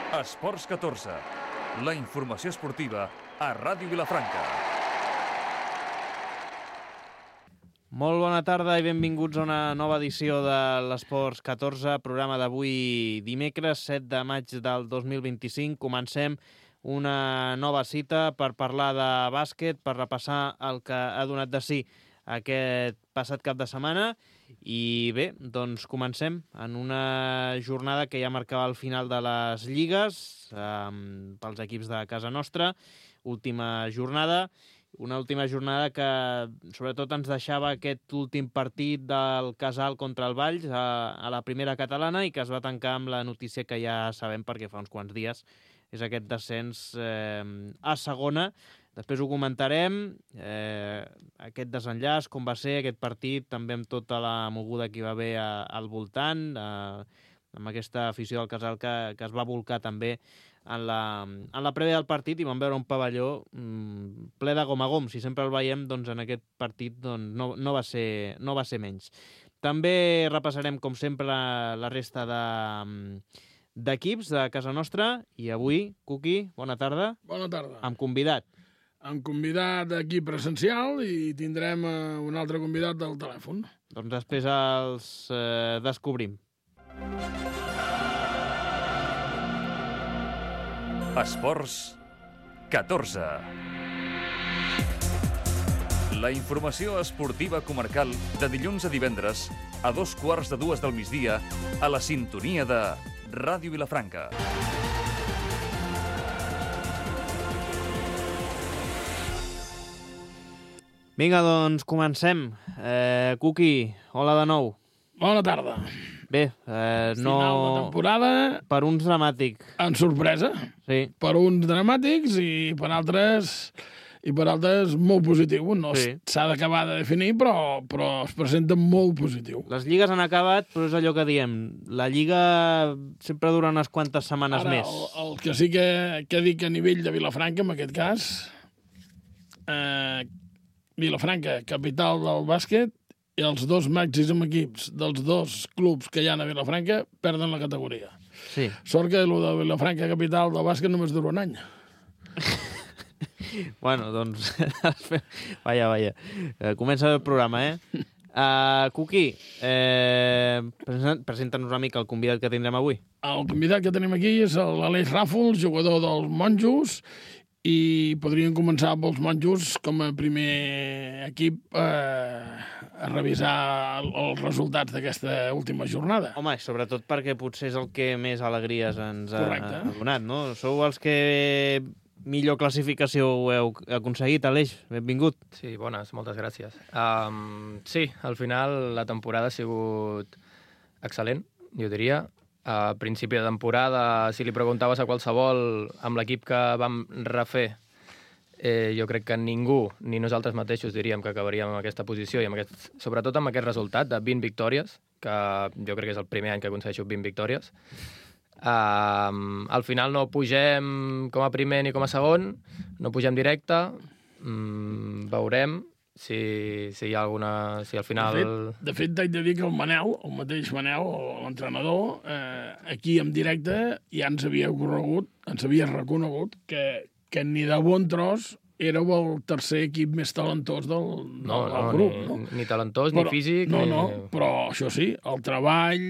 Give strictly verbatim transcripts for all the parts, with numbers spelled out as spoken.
Esports catorze, la informació esportiva a Ràdio Vilafranca. Molt bona tarda i benvinguts a una nova edició de l'Esports catorze, programa d'avui dimecres, set de maig del dos mil vint-i-cinc. Comencem una nova cita per parlar de bàsquet, per repassar el que ha donat de si aquest passat cap de setmana. I bé, doncs comencem en una jornada que ja marcava el final de les lligues eh, pels equips de casa nostra. Última jornada, una última jornada que sobretot ens deixava aquest últim partit del Casal contra el Valls a, a la primera catalana i que es va tancar amb la notícia que ja sabem perquè fa uns quants dies, és aquest descens eh, a segona. Després ho comentarem, eh, aquest desenllaç, com va ser aquest partit, també amb tota la moguda que hi va haver a, al voltant, eh, amb aquesta afició del Casal que, que es va volcar també en la, en la prèvia del partit, i vam veure un pavelló mm, ple de gom a gom. Si sempre el veiem, doncs en aquest partit doncs, no, no, va ser, no va ser menys. També repassarem, com sempre, la, la resta de... d'equips de casa nostra, i avui, Cuqui, bona tarda. Bona tarda. Amb convidat. Amb convidat aquí presencial i tindrem uh, un altre convidat del telèfon. Doncs després els eh, descobrim. Esports catorze. La informació esportiva comarcal de dilluns a divendres a dos quarts de dues del migdia a la sintonia de Ràdio Vilafranca. Vinga, doncs comencem. Eh, Cuqui, hola de nou. Bona tarda. Bé, eh, no... Final de temporada. Per uns dramàtic. En sorpresa. Sí. Per uns dramàtics i per altres... i per altres molt positiu. No s'ha sí. d'acabar de definir, però, però es presenta molt positiu. Les lligues han acabat, però és allò que diem. La lliga sempre dura unes quantes setmanes Ara, més. El, el que sí que, que dic a nivell de Vilafranca, en aquest cas, eh, Vilafranca, capital del bàsquet, i els dos màxims equips dels dos clubs que hi ha a Vilafranca perden la categoria. Sí. Sort que el de Vilafranca, capital del bàsquet, només dura un any. Bueno, doncs... vaja, vaja. Eh, comença el programa, eh? Uh, Cuqui, eh, presenta'ns una mica el convidat que tindrem avui. El convidat que tenim aquí és l'Aleix Ràfols, jugador dels Monjos, i podríem començar amb els Monjos com a primer equip eh, a revisar els resultats d'aquesta última jornada. Home, sobretot perquè potser és el que més alegries ens ha, Correcte. ha donat, no? Sou els que millor classificació heu aconseguit, Aleix. Benvingut. Sí, bones, moltes gràcies. Um, sí, al final la temporada ha sigut excel·lent, jo diria. A principi de temporada, si li preguntaves a qualsevol amb l'equip que vam refer, eh, jo crec que ningú, ni nosaltres mateixos, diríem que acabaríem en aquesta posició, i amb aquest, sobretot amb aquest resultat de vint victòries, que jo crec que és el primer any que aconsegueixo vint victòries. Uh, al final no pugem com a primer ni com a segon, no pugem directe, um, veurem si, si hi ha alguna... si al final... De fet, de fet t'haig de dir que el Manel, el mateix Manel, l'entrenador, eh, aquí en directe ja ens havia corregut, ens havia reconegut que, que ni de bon tros éreu el tercer equip més talentós del, no, del no, grup. Ni, no? ni talentós, però, ni físic... No, ni... no, però això sí, el treball,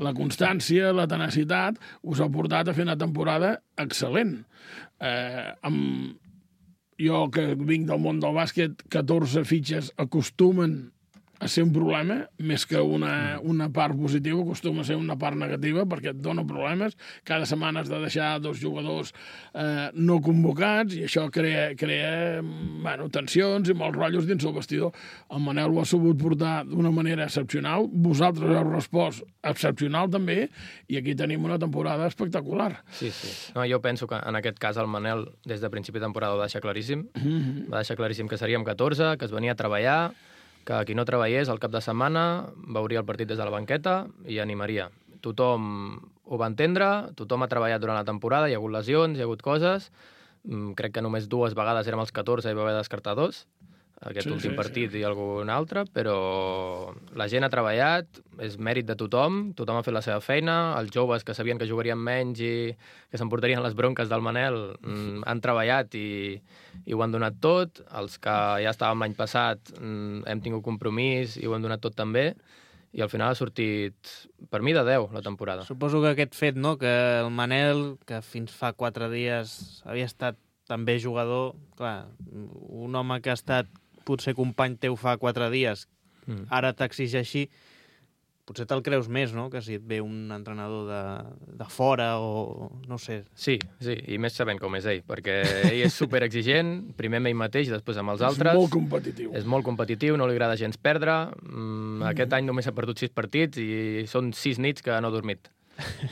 la constància, la tenacitat, us ha portat a fer una temporada excel·lent. Eh, amb... Jo, que vinc del món del bàsquet, catorze fitxes acostumen a ser un problema, més que una, una part positiva, acostuma a ser una part negativa, perquè et dona problemes. Cada setmana has de deixar dos jugadors eh, no convocats, i això crea, crea bueno, tensions i molts rotllos dins el vestidor. El Manel ho ha sabut portar d'una manera excepcional, vosaltres heu respost excepcional també, i aquí tenim una temporada espectacular. Sí, sí. No, jo penso que en aquest cas el Manel, des de principi de temporada, ho va deixar claríssim. Mm-hmm. Va deixar claríssim que seríem catorze, que es venia a treballar, que qui no treballés al cap de setmana veuria el partit des de la banqueta i animaria. Tothom ho va entendre, tothom ha treballat durant la temporada, hi ha hagut lesions, hi ha hagut coses. Crec que només dues vegades érem els catorze i va haver de descartar dos. aquest Sí, últim sí, partit sí. i algun altre, però la gent ha treballat, és mèrit de tothom, tothom ha fet la seva feina, els joves que sabien que jugarien menys i que s'emportarien les bronques del Manel mm, han treballat i, i ho han donat tot, els que ja estàvem l'any passat mm, hem tingut compromís i ho hem donat tot també, i al final ha sortit, per mi, de deu la temporada. Suposo que aquest fet, no?, que el Manel, que fins fa quatre dies havia estat també jugador, clar, un home que ha estat potser company teu fa quatre dies, Mm. ara t'exigeixi, potser te'l creus més, no?, que si et ve un entrenador de, de fora o no sé. Sí, sí, i més sabent com és ell, perquè ell és superexigent, primer amb ell mateix, després amb els És altres. molt competitiu. És molt competitiu, no li agrada gens perdre. Mm, aquest any només ha perdut sis partits i són sis nits que no ha dormit.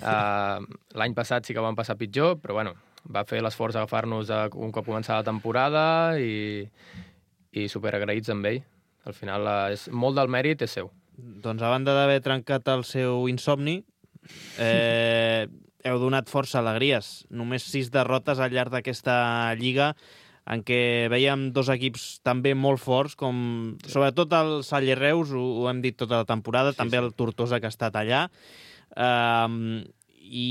Uh, L'any passat sí que van passar pitjor, però bueno, va fer l'esforç d'agafar-nos un cop començava la temporada i, i superagraïts amb ell. Al final, uh, és, molt del mèrit és seu. Doncs a banda d'haver trencat el seu insomni, eh, heu donat força alegries. Només sis derrotes al llarg d'aquesta lliga, en què veiem dos equips també molt forts, com sobretot el Salle Reus, ho, ho hem dit tota la temporada, Sí, també sí. el Tortosa, que ha estat allà. Eh, I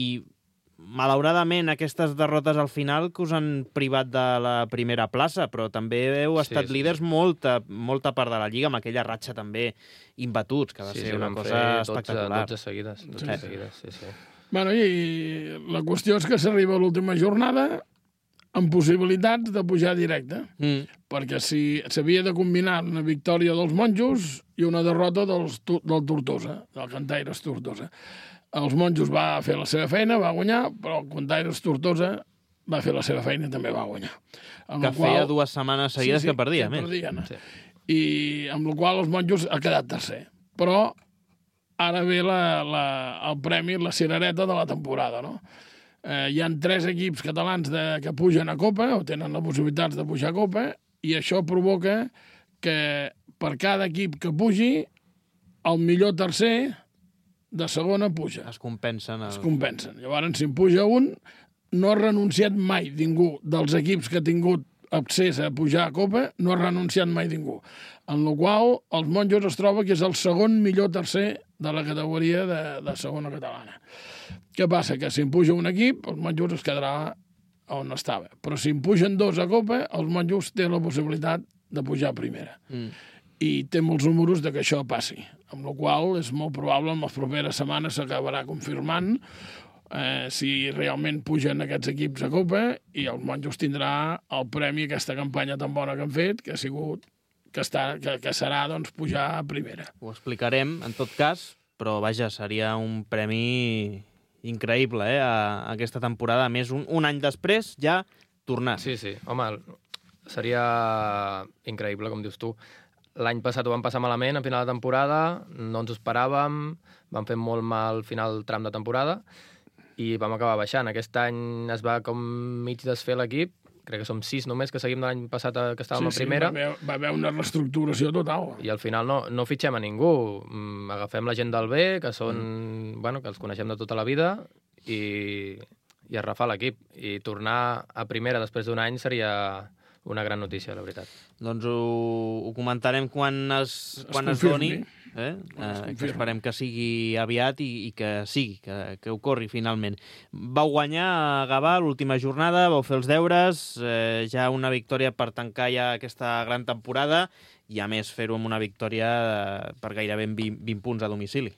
malauradament aquestes derrotes al final que us han privat de la primera plaça, però també heu Sí, estat sí, líders sí. molta, molta part de la lliga, amb aquella ratxa també imbatuts, que va Sí, ser sí, una vam cosa fer espectacular. dotze seguides. dotze Sí. seguides, sí, sí. Bueno, i la qüestió és que s'arriba a l'última jornada amb possibilitats de pujar directe, Mm. perquè si s'havia de combinar una victòria dels monjos i una derrota dels, tu- del Tortosa, del Cantaires Tortosa. Els monjos va fer la seva feina, va guanyar, però el Cantaires Tortosa va fer la seva feina i també va guanyar. Amb Que la qual- feia dues setmanes seguides Sí, sí, que perdia, que més. perdien. Sí. I amb la qual els monjos ha quedat tercer. Però ara ve la, la, el premi, la cirereta de la temporada, no? Eh, hi han tres equips catalans de, que pugen a Copa, o tenen la possibilitat de pujar a Copa, i això provoca que per cada equip que pugi, el millor tercer de segona puja. Es compensen. El... Es compensen. Llavors, si en puja un, no ha renunciat mai ningú dels equips que ha tingut accés a pujar a Copa, no ha renunciat mai ningú. En la qual els monjos es troba que és el segon millor tercer de la categoria de, de segona catalana. Què passa? Que si en puja un equip, els monjos es quedarà on estava. Però si en pugen dos a Copa, els monjos tenen la possibilitat de pujar a primera. Mm. I té molts números de que això passi, amb la qual és molt probable en les properes setmanes s'acabarà confirmant eh, si realment pugen aquests equips a Copa i els monjos tindrà el premi aquesta campanya tan bona que han fet, que ha sigut que, està, que, que serà doncs, pujar a primera. Ho explicarem, en tot cas, però vaja, seria un premi increïble, eh, a, a aquesta temporada. A més, un, un any després ja tornar. Sí, sí. Home, seria increïble, com dius tu. L'any passat ho vam passar malament, a final de temporada, no ens ho esperàvem, vam fer molt mal al final del tram de temporada i vam acabar baixant. Aquest any es va com mig desfer l'equip, crec que som sis només que seguim de l'any passat que estàvem sí, a primera. Sí, va haver, va haver una reestructuració total. I al final no, no fitxem a ningú. Mm, agafem la gent del B, que són, mm. bueno, que els coneixem de tota la vida, i, i arrafar l'equip. I tornar a primera després d'un any seria una gran notícia, la veritat. Doncs ho, ho comentarem quan es, Es quan es confirmi. doni, eh? Quan es eh, que confirmi. esperem que sigui aviat i, i que sigui, que, que ocorri finalment. Vau guanyar a Gavà l'última jornada, vau fer els deures, eh, ja una victòria per tancar ja aquesta gran temporada i a més fer-ho amb una victòria eh, per gairebé vint, vint punts a domicili.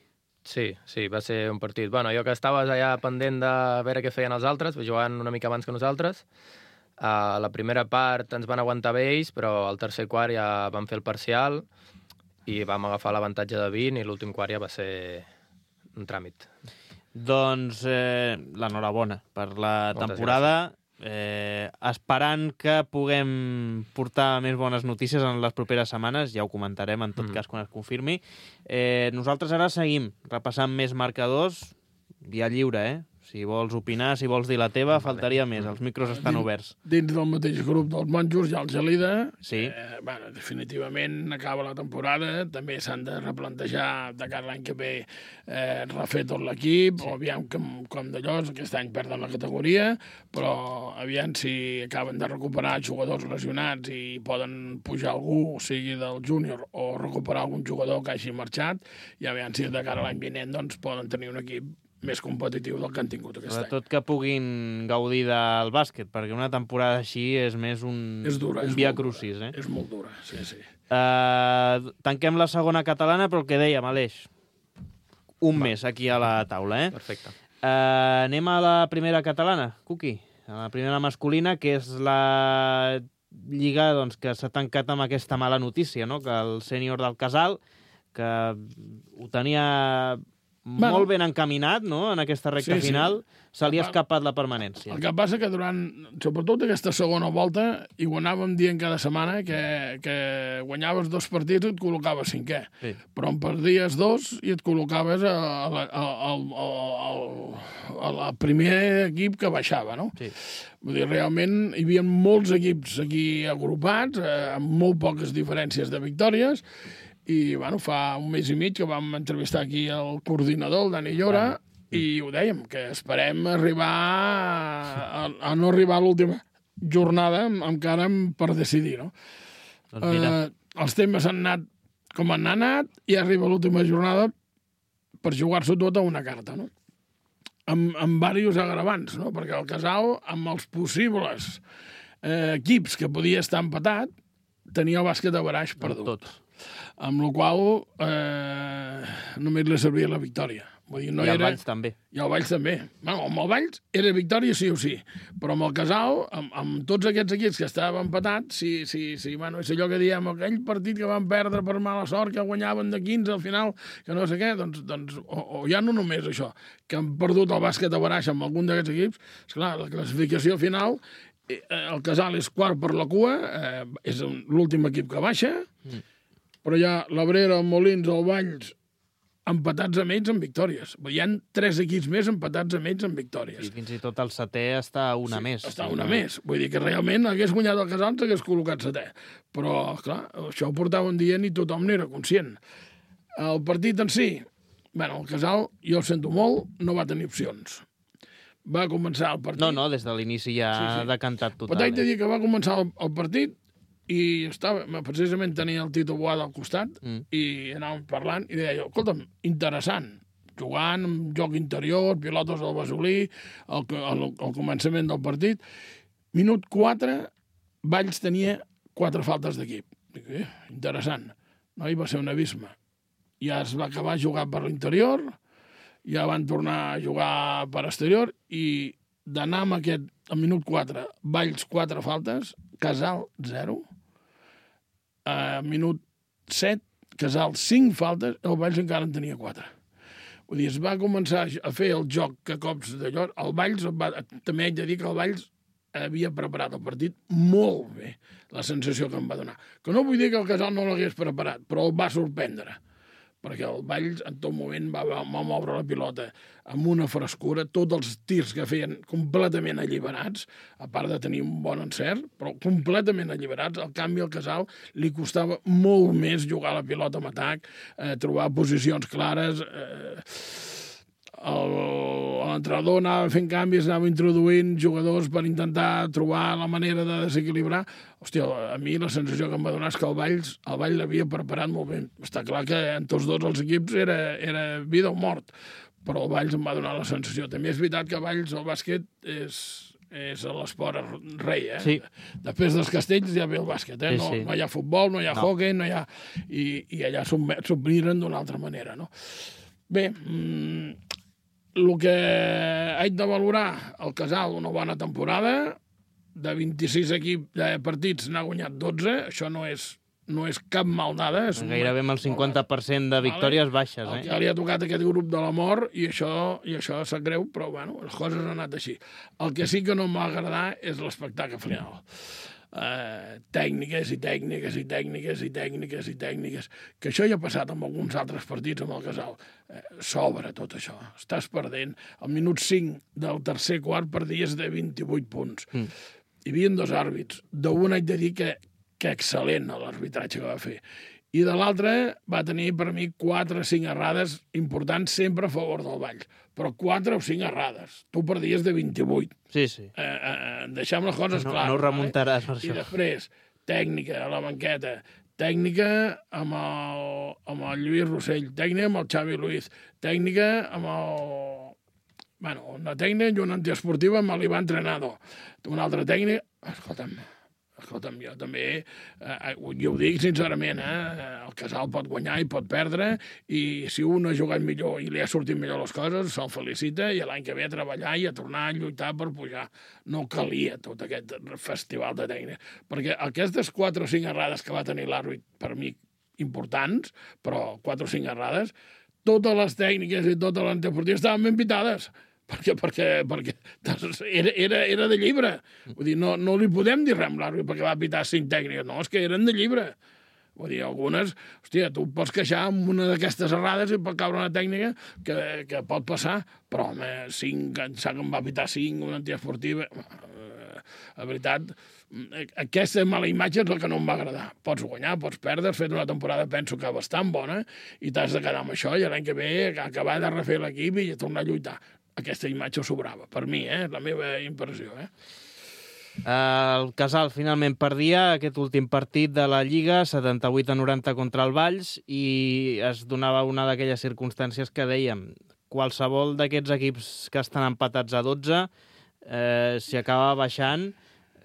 Sí, sí, va ser un partit. Bueno, jo que estaves allà pendent de veure què feien els altres, jugant una mica abans que nosaltres, a la primera part ens van aguantar bé ells, però al tercer quart ja vam fer el parcial i vam agafar l'avantatge de vint i l'últim quart ja va ser un tràmit. Doncs eh, l'enhorabona per la Moltes temporada, eh, esperant que puguem portar més bones notícies en les properes setmanes, ja ho comentarem en tot Mm. cas quan es confirmi. Eh, nosaltres ara seguim repassant més marcadors, via lliure, eh? Si vols opinar, si vols dir la teva, faltaria més. Els micros estan oberts. Dins del mateix grup dels monjos hi ha el Gelida. Sí. Eh, bueno, definitivament acaba la temporada. També s'han de replantejar de cara l'any que ve eh, refer tot l'equip. Sí. O aviam com, com d'allò, aquest any perden la categoria, però aviam si acaben de recuperar jugadors lesionats i poden pujar algú, sigui del júnior, o recuperar algun jugador que hagi marxat, i aviam si de cara a l'any vinent doncs, poden tenir un equip més competitiu del que han tingut aquest any. Sobretot que puguin gaudir del bàsquet, perquè una temporada així és més un, és dura, un és via molt crucis. Eh? És molt dura, sí, sí. Uh, tanquem la segona catalana, però el que dèiem, Aleix, un Va. més aquí a la taula. Eh? Perfecte. Uh, anem a la primera catalana, Cuqui, a la primera masculina, que és la lliga doncs, que s'ha tancat amb aquesta mala notícia, no? Que el sènior del Casal, que ho tenia Bueno, molt ben encaminat, no?, en aquesta recta sí, sí. final, se li ha escapat la permanència. El que passa que durant, sobretot aquesta segona volta, i ho anàvem dient cada setmana, que, que guanyaves dos partits i et col·locaves cinquè. Sí. Però en perdies dos i et col·locaves a, a, a, a, a, a, a primer equip que baixava, no? Sí. Vull dir, realment hi havia molts equips aquí agrupats, eh, amb molt poques diferències de victòries, i bueno, fa un mes i mig que vam entrevistar aquí el coordinador, el Dani Llora, ah. i ho dèiem, que esperem arribar a, a no arribar a l'última jornada encara per decidir, no? Doncs mira. Eh, els temes han anat com han anat i arriba l'última jornada per jugar-s'ho tot a una carta, no? Amb, amb diversos agravants, no? Perquè el Casal, amb els possibles eh, equips que podia estar empatat, tenia el bàsquet a baraix perdut. Tot. Amb la qual eh, només li servia la victòria. Vull dir, no I el era... Valls també. I el Valls també. Bueno, amb el Valls era victòria sí o sí, però amb el Casal, amb, amb tots aquests equips que estaven empatats, sí, sí, sí, bueno, és allò que diem, aquell partit que van perdre per mala sort, que guanyaven de quinze al final, que no sé què, doncs, doncs o, o ja no només això, que han perdut el bàsquet a baraix amb algun d'aquests equips, esclar, la classificació final, eh, el Casal és quart per la cua, eh, és l'últim equip que baixa, mm. però hi ha l'Abrera, el Molins, el Valls, empatats amb ells en victòries. Hi ha tres equips més empatats amb ells en victòries. I fins i tot el setè està una sí, més. Està una sí. més. Vull dir que realment hagués guanyat el Casal, s'hagués col·locat setè. Però, clar, això ho portaven dient i tothom n'era conscient. El partit en si, bueno, el Casal, jo el sento molt, no va tenir opcions. Va començar el partit... No, no, des de l'inici ja sí, sí. ha decantat total. Però t'haig de eh? dir que va començar el, el partit i estava, precisament tenia el Tito Boada al costat mm. i anàvem parlant i deia, escolta'm, interessant, jugant amb joc interior, pilotes al Basolí, al, al, al començament del partit. Minut quatre, Valls tenia quatre faltes d'equip. Dic, eh, interessant. No, hi va ser un abisme. Ja es va acabar jugant per l'interior, ja van tornar a jugar per exterior i d'anar amb aquest, al minut quatre, Valls quatre faltes, Casal zero, a minut set, Casal cinc faltes, el Valls encara en tenia quatre. Vull dir, es va començar a fer el joc que cops d'allò, el Valls, va, també haig de dir que el Valls havia preparat el partit molt bé, la sensació que em va donar. Que no vull dir que el Casal no l'hagués preparat, però el va sorprendre, perquè el Valls en tot moment va, va, va moure la pilota amb una frescura, tots els tirs que feien completament alliberats, a part de tenir un bon encert, però completament alliberats. Al canvi, al Casal li costava molt més jugar la pilota amb atac, eh, trobar posicions clares... Eh, l'entrenador anava fent canvis, anava introduint jugadors per intentar trobar la manera de desequilibrar. Hòstia, a mi la sensació que em va donar és que el Valls el Valls l'havia preparat molt bé. Està clar que en tots dos els equips era, era vida o mort, però el Valls em va donar la sensació. També és veritat que Valls el bàsquet és, és l'esport rei, eh? Sí. Després dels castells ja ve el bàsquet, eh? Sí, no, sí. no hi ha futbol, no hi ha no. hoquei, no hi ha... I, i allà s'ho miren d'una altra manera, no? Bé, mmm, el que haig de valorar, el Casal, una bona temporada, de vint-i-sis equips de partits n'ha guanyat dotze, això no és, no és cap maldada. És Gairebé amb el cinquanta per cent de victòries vale. baixes. Eh? El que li ha tocat aquest grup de la mort, i això, i això sap greu, però bueno, les coses han anat així. El que sí que no m'ha agradat és l'espectacle final. eh, tècniques i tècniques i tècniques i tècniques i tècniques, que això ja ha passat amb alguns altres partits amb el Casal. Eh, sobra tot això, estàs perdent. Al minut cinc del tercer quart perdies de vint-i-vuit punts. Mm. Hi havia dos àrbits. D'un haig de dir que, que excel·lent l'arbitratge que va fer. I de l'altre va tenir per mi quatre o cinc errades importants sempre a favor del Valls. Però quatre o cinc errades. Tu perdies de vint-i-vuit. Sí, sí. Eh, eh, deixem les coses no, clares. No ho remuntaràs, per I això. després, tècnica a la banqueta, tècnica amb el, amb el Lluís Rossell, tècnica amb el Xavi Luiz, tècnica amb el... Bueno, una tècnica i una antiesportiva amb l'Ivan Trenado. Una altra tècnica... Escolta'm, escolta'm, jo també, eh, jo ho dic sincerament, eh, el Casal pot guanyar i pot perdre, i si un ha jugat millor i li ha sortit millor les coses, se'l felicita, i l'any que ve a treballar i a tornar a lluitar per pujar. No calia tot aquest festival de tècnica, perquè aquestes quatre o cinc errades que va tenir l'àrbit, per mi, importants, però quatre o cinc errades, totes les tècniques i totes les anteportives estaven ben pitades, perquè, perquè, perquè era, era, era de llibre. Vull dir, no, no li podem dir res amb l'àrbit perquè va pitar cinc tècniques, no, és que eren de llibre. Vull dir, algunes, hòstia, tu pots queixar amb una d'aquestes errades i pot caure una tècnica que, que pot passar, però, home, cinc, em sap que em va pitar cinc, una antiesportiva... La veritat, aquesta mala imatge és el que no em va agradar. Pots guanyar, pots perdre, has fet una temporada, penso que bastant bona, i t'has de quedar amb això, i l'any que ve acabar de refer l'equip i tornar a lluitar. Aquesta imatge sobrava, per mi, eh? La meva impressió, eh? El Casal finalment perdia aquest últim partit de la Lliga, setanta-vuit a noranta contra el Valls, i es donava una d'aquelles circumstàncies que dèiem, qualsevol d'aquests equips que estan empatats a dotze, eh, si acaba baixant,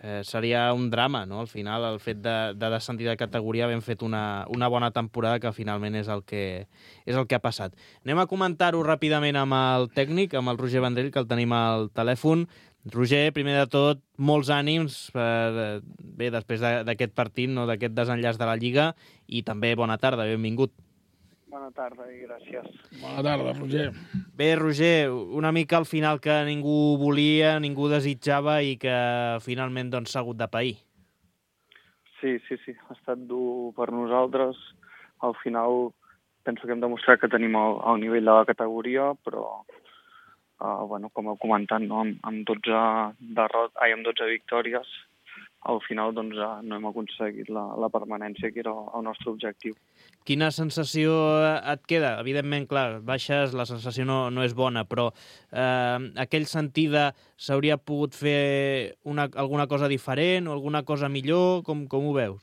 eh, seria un drama, no? Al final, el fet de, de descendir de categoria, havent fet una, una bona temporada, que finalment és el que, és el que ha passat. Anem a comentar-ho ràpidament amb el tècnic, amb el Roger Vendrell, que el tenim al telèfon. Roger, primer de tot, molts ànims per, bé, després d'aquest partit, no, d'aquest desenllaç de la Lliga, i també bona tarda, benvingut. Bona tarda i gràcies. Bona tarda, Roger. Bé, Roger, una mica al final que ningú volia, ningú desitjava i que finalment doncs, s'ha hagut de pair. Sí, sí, sí, ha estat dur per nosaltres. Al final penso que hem demostrat que tenim el, el nivell de la categoria, però uh, bueno, com heu comentat, no? amb, amb, dotze derrot, ai, amb dotze victòries, al final doncs, no hem aconseguit la, la permanència, que era el nostre objectiu. Quina sensació et queda? Evidentment, clar, baixes, la sensació no, no és bona, però eh, aquell sentir de s'hauria pogut fer una, alguna cosa diferent o alguna cosa millor, com, com ho veus?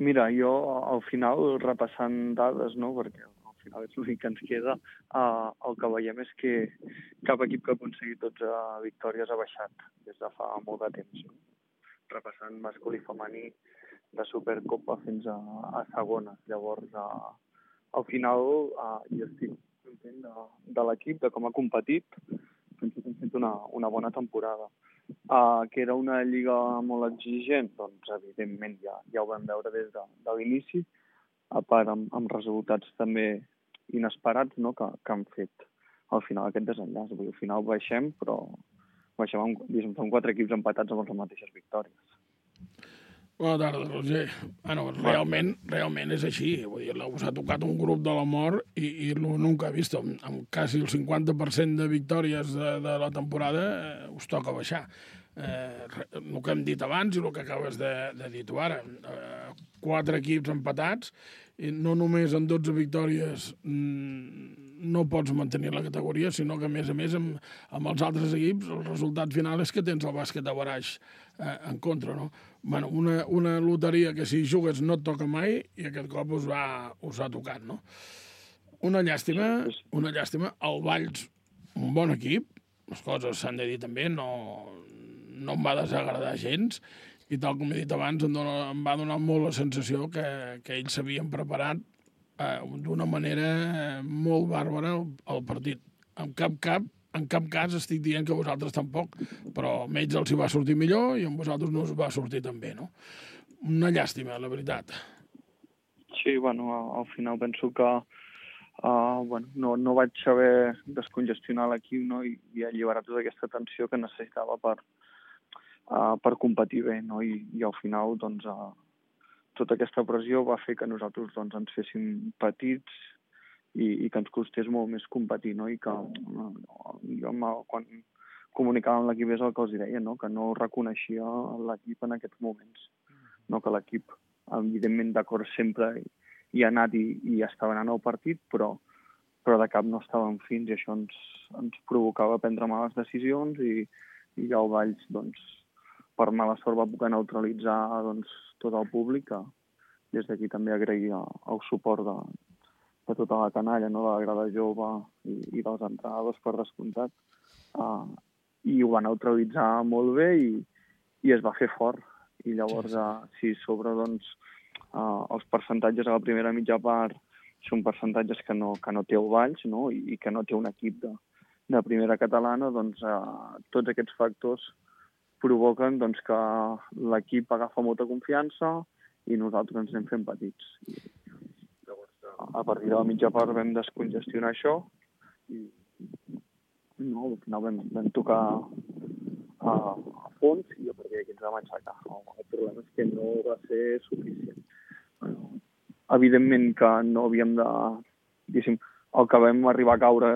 Mira, jo al final, repassant dades, no?, perquè al final és l'únic que ens queda, uh, el que veiem és que cap equip que ha aconseguit dotze victòries ha baixat des de fa molt de temps. No? Repassant masculí i femení de Supercopa fins a, a segona. Llavors, uh, al final, uh, jo estic content de, de l'equip, de com ha competit. Penso que hem fet una, una bona temporada. Uh, que era una lliga molt exigent, doncs evidentment ja, ja ho vam veure des de, de l'inici, a part amb, amb resultats també inesperats, no?, que, que han fet al final aquest desenllaç. Vull dir, al final baixem, però baixem amb, diguem, amb quatre equips empatats amb les mateixes victòries. Bona tarda, Roger. Bueno, realment, realment és així. Vull dir, us ha tocat un grup de la mort i, i nunca he vist. Amb, amb quasi el cinquanta per cent de victòries de, de la temporada eh, us toca baixar. Eh, el que hem dit abans i el que acabes de, de dir tu ara. Eh, quatre equips empatats, i no només amb dotze victòries mmm, no pots mantenir la categoria, sinó que, a més a més, amb, amb els altres equips, el resultat final és que tens el bàsquet de Baraix eh, en contra, no? Bueno, una, una loteria que si jugues no et toca mai i aquest cop us, va, us ha tocat, no? Una llàstima, una llàstima. El Valls, un bon equip, les coses s'han de dir també, no, no em va desagradar gens, i tal com he dit abans, em, dona, em va donar molt la sensació que, que ells s'havien preparat eh, d'una manera molt bàrbara el, el partit. En cap, cap, en cap cas estic dient que vosaltres tampoc, però a ells els hi va sortir millor i a vosaltres no us va sortir tan bé, no? Una llàstima, la veritat. Sí, bueno, al final penso que uh, bueno, no, no vaig saber descongestionar l'equip, no?, i, i alliberar tota aquesta tensió que necessitava per uh, per competir bé, no? I, i al final, doncs, uh, tota aquesta pressió va fer que nosaltres doncs, ens féssim petits i, i que ens costés molt més competir, no? I que uh, jo quan comunicava amb l'equip és el que els deia, no? Que no reconeixia l'equip en aquests moments, no? Que l'equip, evidentment, d'acord sempre hi ha anat i, i estava anant al partit, però, però de cap no estàvem fins i això ens, ens provocava prendre males decisions i, i ja el Valls, doncs, per mala sort va poder neutralitzar doncs, tot el públic, que des d'aquí també agrair el suport de, de tota la canalla, no? De la grada jove i, i dels entrenadors per descomptat. Uh, I ho va neutralitzar molt bé i, i es va fer fort. I llavors, uh, si sobre, doncs, Uh, els percentatges a la primera mitja part són percentatges que no, que no té el Valls, no? I, i que no té un equip de, de primera catalana, doncs uh, tots aquests factors provoquen doncs, que l'equip agafa molta confiança i nosaltres ens anem fent petits. I, llavors, uh, a partir de la mitja part vam descongestionar això i no, al final vam, vam tocar a, a fons i a partir d'aquí ens vam aixecar. El problema és que no va ser suficient. Bueno, evidentment que no havíem de... Diguéssim, el que vam arribar a caure,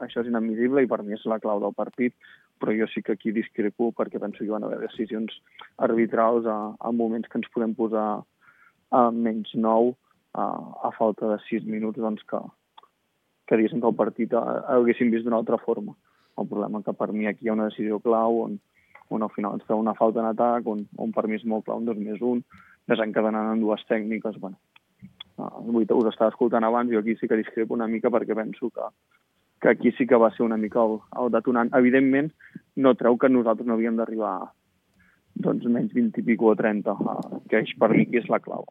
això és inadmissible i per mi és la clau del partit, però jo sí que aquí discrepo perquè penso que hi van haver decisions arbitrals a, a moments que ens podem posar a menys nou a, a falta de sis minuts, doncs que, que diguéssim que el partit haguéssim vist d'una altra forma. El problema que per mi aquí hi ha una decisió clau on, on al final ens treu una falta en atac, on, on per mi és molt clau un dos més un, desencadenant en dues tècniques. Bueno, uh, us estava escoltant abans, jo aquí sí que discrepo una mica perquè penso que, que aquí sí que va ser una mica el, el detonant. Evidentment, no treu que nosaltres no havíem d'arribar doncs, menys vint i pico o trenta, uh, que és per mi que és la clau.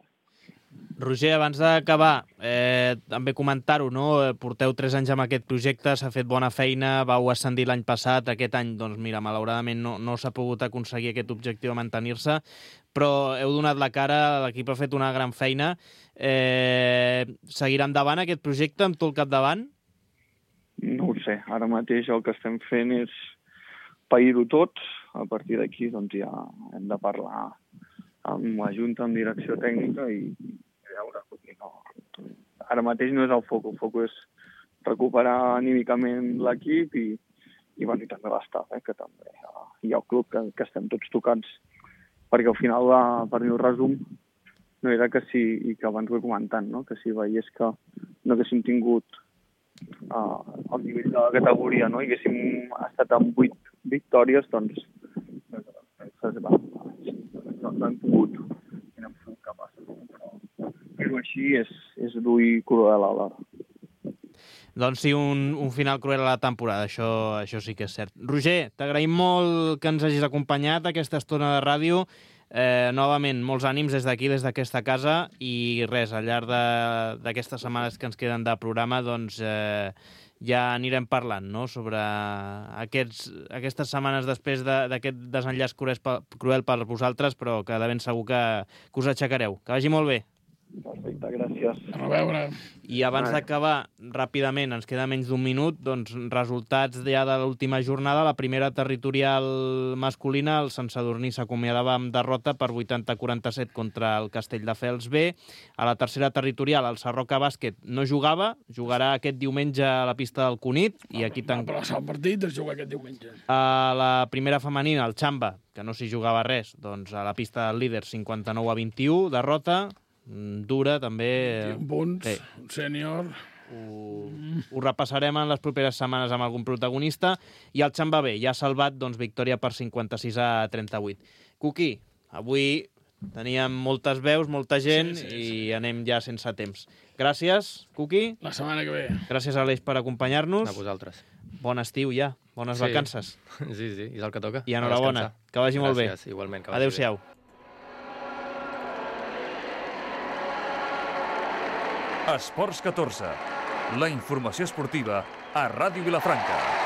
Roger, abans d'acabar, eh, també comentar-ho, no? Porteu tres anys amb aquest projecte, s'ha fet bona feina, vau ascendir l'any passat, aquest any, doncs mira, malauradament no, no s'ha pogut aconseguir aquest objectiu de mantenir-se, però heu donat la cara, l'equip ha fet una gran feina. Eh, seguirà endavant aquest projecte amb tu al capdavant? No ho sé, ara mateix el que estem fent és pair-ho tot, a partir d'aquí doncs ja hem de parlar amb la Junta, amb direcció tècnica i veure, no. Ara mateix no és el foc, el foc és recuperar anímicament l'equip i, i, bueno, i també l'estaf, eh, que també hi ha el club que, que estem tots tocats, perquè al final, la, per mi el resum, no era que si, i que abans ho he comentat, no? Que si veiés que no haguéssim tingut uh, el nivell de la categoria, no? I haguéssim estat amb vuit victòries, doncs no, no hem pogut, no hem pogut capaços. Però fer-ho així és, és dur i cruel alhora. Doncs sí, un, un final cruel a la temporada, això, això sí que és cert. Roger, t'agraïm molt que ens hagis acompanyat aquesta estona de ràdio. Eh, novament, molts ànims des d'aquí, des d'aquesta casa, i res, al llarg d'aquestes setmanes que ens queden de programa, doncs eh, ja anirem parlant, no?, sobre aquests, aquestes setmanes després d'aquest de, desenllaç cruel, cruel per vosaltres, però que de ben segur que, que us aixecareu. Que vagi molt bé. Perfecte, gràcies. A veure. I abans d'acabar, ràpidament, ens queda menys d'un minut, doncs resultats ja de l'última jornada. La primera territorial masculina, el Sant Sadurní s'acomiadava amb derrota per vuitanta a quaranta-set contra el Castelldefels B. A la tercera territorial, el Sarroca Bàsquet no jugava, jugarà aquest diumenge a la pista del Cunit. I aquí Va plaçar el partit, es juga aquest diumenge. A la primera femenina, el Xamba, que no s'hi jugava res, doncs a la pista del líder, cinquanta-nou a vint-i-u, derrota dura, també. vint punts, sí. Sènior. Ho, ho repassarem en les properes setmanes amb algun protagonista. I el Xamba B ja ha salvat, doncs, victòria per cinquanta-sis a trenta-vuit. Cuqui, avui teníem moltes veus, molta gent, sí, sí, sí. I anem ja sense temps. Gràcies, Cuqui. La setmana que ve. Gràcies, Aleix, per acompanyar-nos. A vosaltres. Bon estiu ja, bones sí. vacances. Sí, sí, és el que toca. I enhorabona, que vagi Gràcies, molt bé. Igualment, que vagi Adéu-siau. bé. Esports catorze. La informació esportiva a Ràdio Vilafranca.